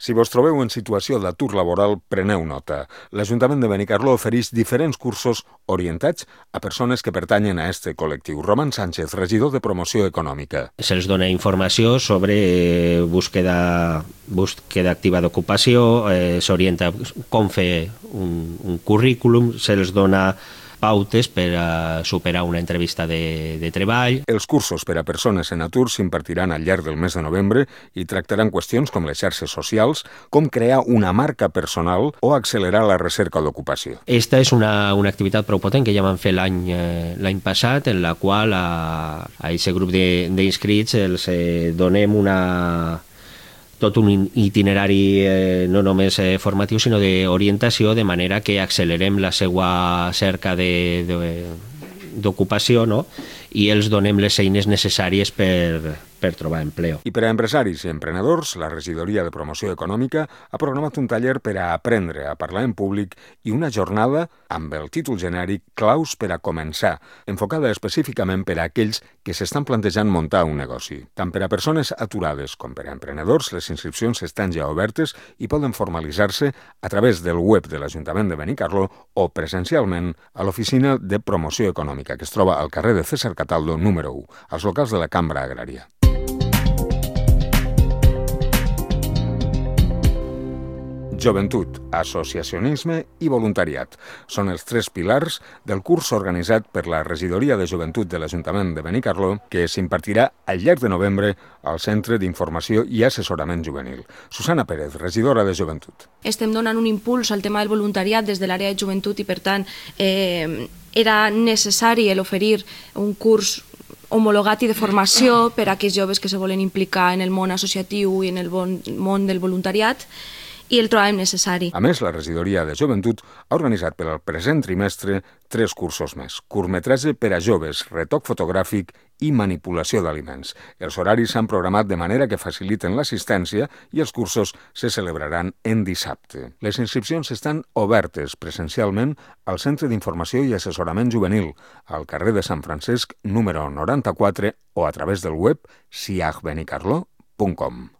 Si vos trobeu en situació d'atur laboral, preneu nota. L'Ajuntament de Benicarló ofereix diferents cursos orientats a persones que pertanyen a este col·lectiu. Roman Sánchez, regidor de Promoció Econòmica. Se'ls dona informació sobre búsqueda activa d'ocupació, s'orienta com fer un currículum, se'ls dona pautes per a superar una entrevista de treball. Els cursos per a persones en atur s'impartiran al llarg del mes de novembre i tractaran qüestions com les xarxes socials, com crear una marca personal o accelerar la recerca d'ocupació. Esta és una activitat prou potent que ja vam fer l'any passat, en la qual a aquest grup d'inscrits els donem tot un itinerari no només formatiu, sinó d'orientació, de manera que accelerem la seva cerca d'ocupació, no? I els donem les eines necessàries per trobar empleo. I per a empresaris i emprenedors, la Regidoria de Promoció Econòmica ha programat un taller per a aprendre a parlar en públic i una jornada amb el títol genèric Claus per a començar, enfocada específicament per a aquells que s'estan plantejant muntar un negoci. Tant per a persones aturades com per a emprenedors, les inscripcions estan ja obertes i poden formalitzar-se a través del web de l'Ajuntament de Benicarló o presencialment a l'Oficina de Promoció Econòmica, que es troba al carrer de César Cataldo, número 1, als locals de la Cambra Agrària. Joventut, associacionisme i voluntariat són els tres pilars del curs organitzat per la Regidoria de Joventut de l'Ajuntament de Benicarló, que s'impartirà al llarg de novembre al Centre d'Informació i Assessorament Juvenil. Susana Pérez, regidora de Joventut. Estem donant un impuls al tema del voluntariat des de l'àrea de joventut i, per tant, era necessari oferir un curs homologat i de formació per a aquells joves que se volen implicar en el món associatiu i en el món del voluntariat, i el trobàvem necessari. A més, la Regidoria de Joventut ha organitzat per al present trimestre 3 cursos més. Curtmetratge per a joves, retoc fotogràfic i manipulació d'aliments. Els horaris s'han programat de manera que faciliten l'assistència i els cursos se celebraran en dissabte. Les inscripcions estan obertes presencialment al Centre d'Informació i Assessorament Juvenil, al carrer de Sant Francesc, número 94, o a través del web siagbenicarlo.com.